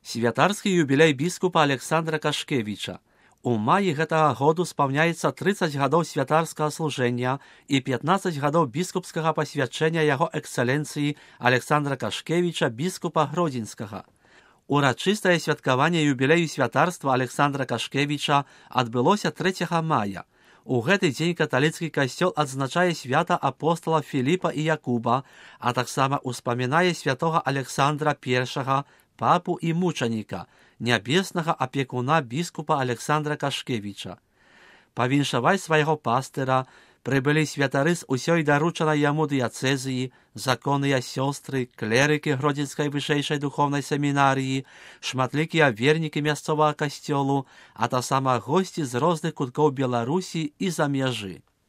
Святарскі юбілей біскупа Александра Кашкевіча. У маі гэтага году спаўняецца 30 гадоў святарскага служэння і 15 гадоў біскупскага пасвячэння яго эксцэленцыі Александра Кашкевіча, біскупа Гродзенскага. Урачыстае святкаванне юбілею святарства Александра Кашкевіча адбылося 3 мая. У гэты дзень каталіцкі касцёл адзначае свята апостала Філіпа і Якуба, а таксама ўспамінае святога Александра I, папу і мучаніка, нябеснага апекуна біскупа Александра Кашкевіча. Павіншаваць свайго пастыра прыбылі святары з усёй даручанай яму дыяцэзіі, законныя сёстры, клерыкі Гродзенскай вышэйшай духовнай семінарыі, шматлікія вернікі мясцовага касцёлу, а таксама госці з розных куткоў Беларусі і за мяжы.